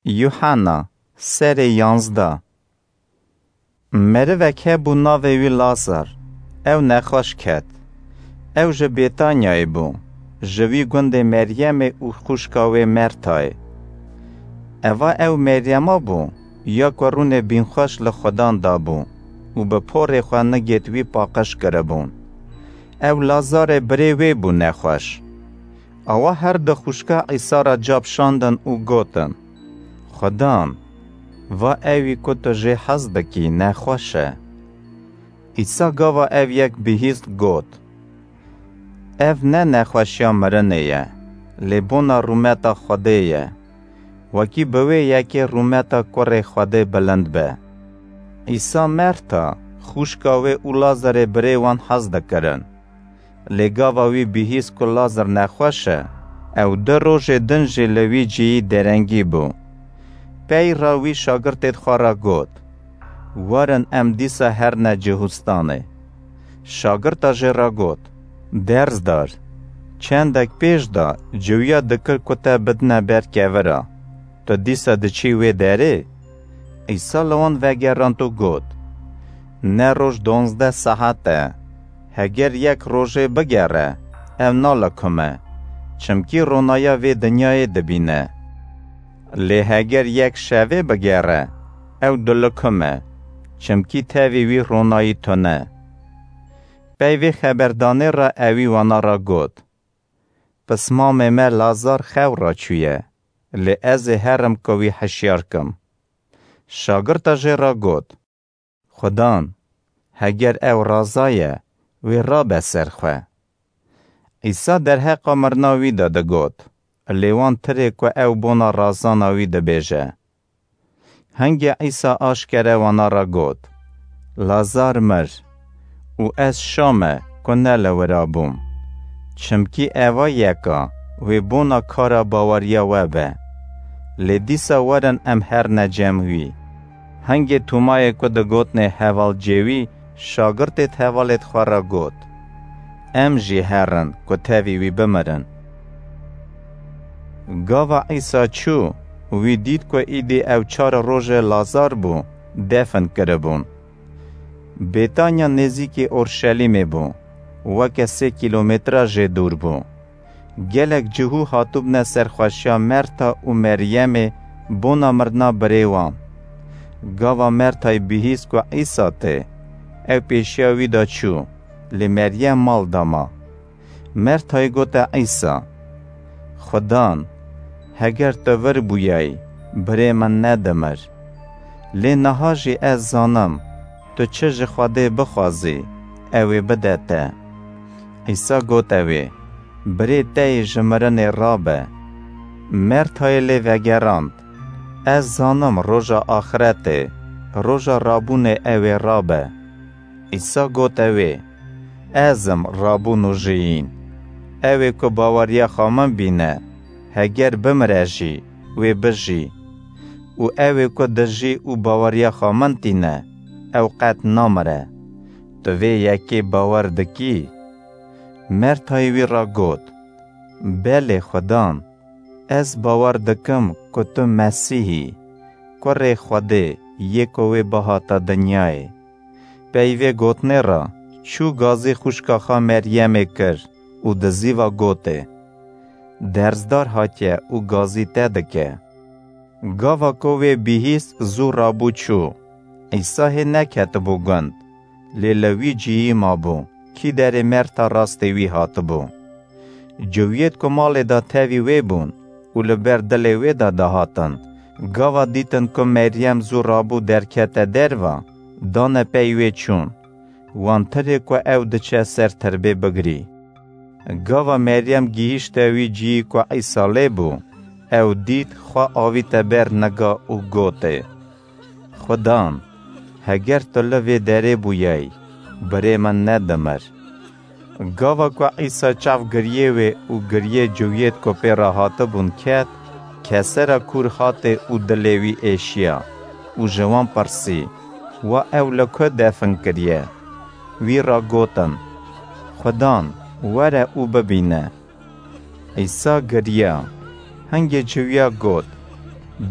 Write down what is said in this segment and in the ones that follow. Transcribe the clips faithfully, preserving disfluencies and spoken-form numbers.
Yuhanna, serê yanzdeh. Merivek hebû navê wî Lazar, ew nexweş ket. Ew ji Bêtanyayê bû, ji wî gundê Meryemê û xwişka wê Mertayê. Eva ew Meryema bû, ya ku rûnê bînxweş li Xudan dabû û bi porê xwe nigêt wî paqij kiribûn. Ew Lazarê birê wê bû nexweş. Awa her du xwişka Îsa re cap şandin û gotin, Xudan, va ewî ku tu jê hez dikî, nexweş e. Îsa gava ev yek bihîst got, Ev ne nexweşiya mirinê ye, lê bona rûmeta Xwedê ye. Wekî bi wê yekê rûmeta kurê Xwedê bilind be. Îsa Merta, xwişka wê û Lazarê birê wan hez dikirin. Lê gava wî bihîst ku Lazar nexweş e, ew du rojê din jî li wî cihî derengî bû. Pey re wî şagirtêd xwe re got, Werin em dîsa herine Cihûstanê. Şagirta jê re got, Derzdar, çendek pêş de ciwiya dikir ku te bidine ber kevira. Tu dîsa diçî wê derê? Îsa li wan vegerand û got, Ne roj donzdeh saet e. Heger yek rojê bigere, ew nalikime, çimkî ronaya vê dinyayê dibîne. Lê heger yek şevê bigere, ew dilikime, çimkî tevî wî ronayî tune. Pey vê xeberdanê re ewî wana re got, Pismamê me Lazar xew re çûye, lê ez ê herim ku wî hişyar kim. Şagirta jê re got, Xudan, heger ew razaye, wê rabe ser xwe. Îsa derheqa mirina wî de digot, lê wan tirê ku ew bona razana wî dibêje. Hingê Îsa aşkere wana re got, Lazar mir û ez şa me ku ne li wira bûm. Çimkî eva yeka wê bona kara baweriya we be. Lê dîsa werin em herine cem wî. Hingê Tomayê ku digotnê hevalcê wî, şagirtêd hevalêd xwe re got, Em jî herin ku tevî wî bimirin. Gava Îsa çû, wî dît ku îdî ew çar roje Lazar bû, defin kiribûn. Bêtanya nêzîkî Orşelîmê bû, weke sê kîlometre jê dûr bû. Gelek cihû hatibûne serxweşiya Merta û Meryemê bona mirina birê wan. Gava Mertayê bihîst ku Îsa tê, ew pêşiya wî de çû, lê Meryem mal de ma. Mertayê gote Îsa, Xudan, heger tu vir bûyayî, birê min nedimir. Lê niha jî ez zanim, tu çi ji Xwedê bixwazî, ew ê bide te. Îsa gote wê, Birê te yê ji mirinê rabe. Mertayê lê vegerand, Ez zanim roja axretê, roja rabûnê ew ê rabe. Îsa gote wê, Ez im rabûn û jiyîn. Ew ê ku baweriya xwe min bîne, heger bimire jî, wê bijî. Û ew ê ku dijî û baweriya xwe min tîne, ew qet namire. Tu vê yekê bawer dikî? Mertayê wî re got, Belê Xudan, ez bawer dikim ku tu Mesîh î, Kurê Xwedê yê ku wê bihata dinyayê. Pey vê gotinê re çû gazî xwişka xwe Meryemê kir û di zîva gotê, Derzdar hatiye û gazî te dike. Gava ku wê bihîst zû rabû çû. Îsa hê neketibû gund, lê li wî cihî mabû, kî derê Merta rastê wî hatibû. Ciwiyêd ku malê de tevî wê bûn û li ber dilê wê de dihatin, gava dîtin ku Meryem zû rabû derkete derve, dane pey wê çûn. Wan tirê ku ew diçe ser tirbê bigirî. Gava Meryem gihîşte wî cihî ku Îsa lê bû, ew dît xwe avîte ber niga û gotê, Xudan, heger tu li vê derê bûyayî, birê min nedimir. Gava ku Îsa çav giriyê wê û giriyê ciwiyêd ku pê re hatibûn ket, kesera kûr hatê û dilê wî êşiya û ji wan pirsî, Wa ew li ku defin kiriye? Wî re gotin, Xudan, were û bibîne. Îsa giriya. Hingê ciwiya got,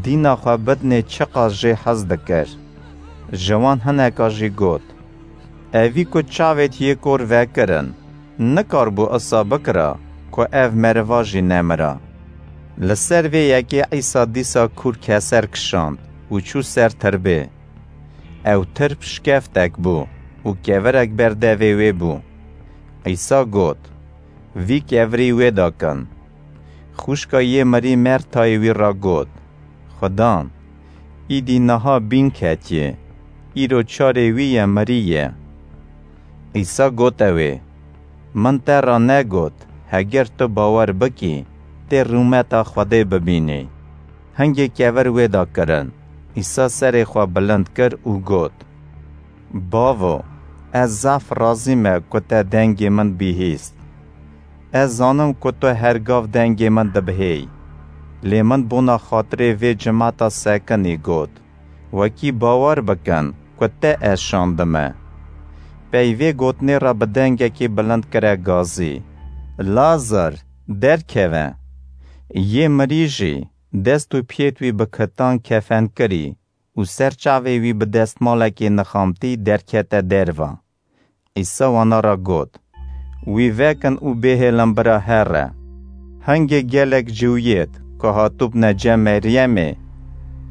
Dîna xwe bidinê çiqas jê hez dikir. Ji wan hineka jî got, Evî ku çavêt yê kor vekirin, nikaribû isa bikira ku ev meriva jî nemira. Li ser vê yekê Îsa dîsa kûr keser kişand û çû ser tirbê. Ew tirb şikeftek bû û kevirek ber devê wê bû. Îsa got, Vî kevirî wê de kin. Xwişka yê mirî Mertayê wî re got, Xudan, îdî niha bîn ketiye, îro çarê wî ye, mirî ye. Îsa gote wê, Min te re negot, heger tu bawer bikî, tê rûmeta Xwedê bibînî. Hingê kevir wê de kirin. Îsa serê xwe bilind kir û got, Bavo, ez zaf razî me ku te dengê min bihîst. Ez zanim ku tu her gav dengê min dibihêy. Lê min bona xatirê vê cimata sekinî got, Wekî bawer bikin ku te ez şandime. Pey vê gotinê re bi dengekî bilind kire gazî, Lazar, derkeve! Yê mirî jî, dest û piyêt wî bi kitan kefenkirî û ser çavê wî bi destmalekê nixamtî derkete derva. Îsa wana re got, Wî vekin û bêhêlin bira here. Hingê gelek ciwiyêt ku hatibûne cem Meryemê,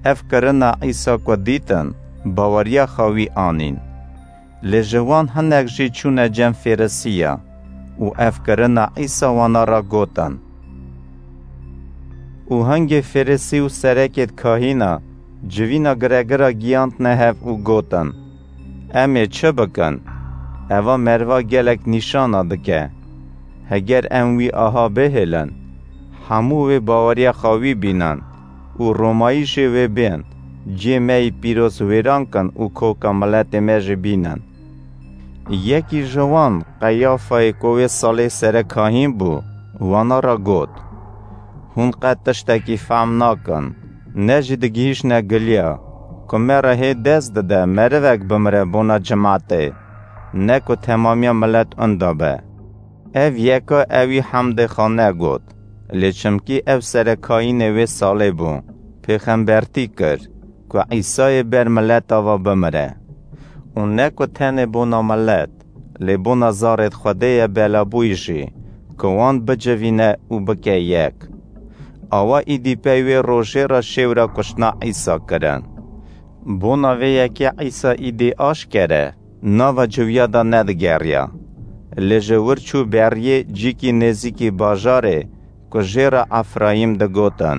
ev kirina Îsa ku dîtin, baweriya xwe wî anîn. Lê ji wan hinek jî çûne cem Fêrisiya û ev kirina Îsa wana re gotin. Û hingê Fêrisî û serekêt kahîna civîna giregira giyandne hev û gotin, Em ê çi bikin? Eva meriva gelek nîşana dike. Heger em wî aha bihêlin, hemû wê baweriya xwe wî bînin û Romayî jê wê bên, cihê me yî pîroz wêran kin û koka miletê me jî bînin. Yekî ji wan, Qeyafayê ku wê salê serekahîn bû, wana re got, Hûn qet tiştekî fehm nakin, ne jî digihîşne giliya, ku me re hê dest dide merivek bimire bona cimatê, ne ku temamiya milet inda be. Ev yeka ewî hemdê xwe negot, lê çimkî ew serekahînê wê salê bû, pêxembertî kir, ku Îsayê ber mileta ve bimire. Û ne ku tenê bona milet, lê bona zarêt Xwedê ye belabûyî jî, ku wan bicivîne û bike yek. Awa îdî pey wê rojê re şêwra kuştina Îsa kirin. Bona vê yekê Îsa îdî aşkere nava ciwiya de nedigeriya. Lê ji wir çû beriyê cîkî nêzîkî bajarê ku jê re Efrayîm digotin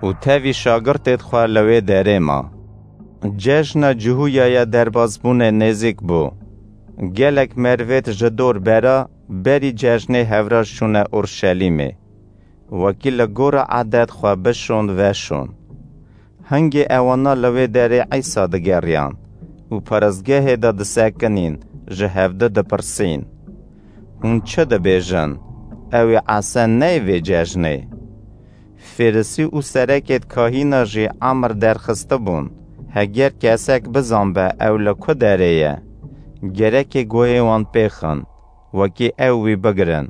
û tevî şagirtêd xwe li wê derê ma. Cejna Cihûyaya derbasbûnê nêzîk bû. Gelek merivêd ji dor bera berî cejnê hevraş çûne Urşelîmê. Wekî li gora edet xwe bişon veşon. Hingê ewana li wê derê Îsa digeriyan û parastgehê de disekinîn, ji hevdi dipirsîn, Hûn çi dibêjin? Ew ê esen neyê vê cejnê? Fêrisî û serekêd kahîna jî emir derxistibûn, heger kesek bizanbe ew li ku derê ye, gerekê guhê wan pêxin, wekî ew wî bigirin.